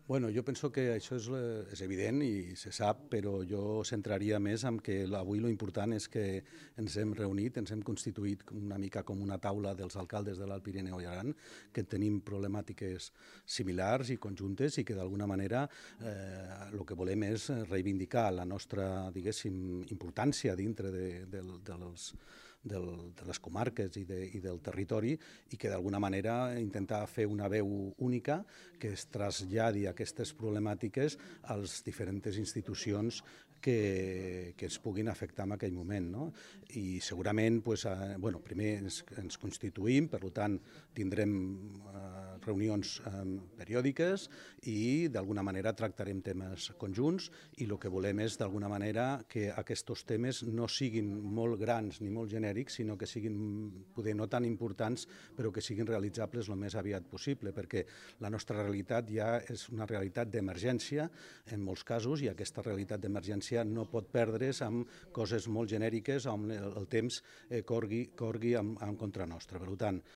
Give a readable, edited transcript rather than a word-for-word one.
Bueno, jo penso que això és evident i se sap, però jo centraria més en que avui lo important és que ens hem reunit, ens hem constituït una mica com una taula dels alcaldes de l'Alt Pirineu i Aran, que tenim problemàtiques similars i conjuntes i que d'alguna manera el que volem és reivindicar la nostra, diguéssim, importància dintre de les comarques i del territori i que d'alguna manera intentar fer una veu única que es traslladi aquestes problemàtiques a les diferents institucions que es puguin afectar en aquell moment. No? I segurament, primer ens constituïm, per tant tindrem reunions periòdiques i d'alguna manera tractarem temes conjunts i el que volem és d'alguna manera que aquests temes no siguin molt grans ni molt genèrics, sinó que siguin poder no tan importants però que siguin realitzables el més aviat possible, perquè la nostra realitat ja és una realitat d'emergència en molts casos i aquesta realitat d'emergència no pot perdre's amb coses molt genèriques on el temps corri en contra nostra. Per tant,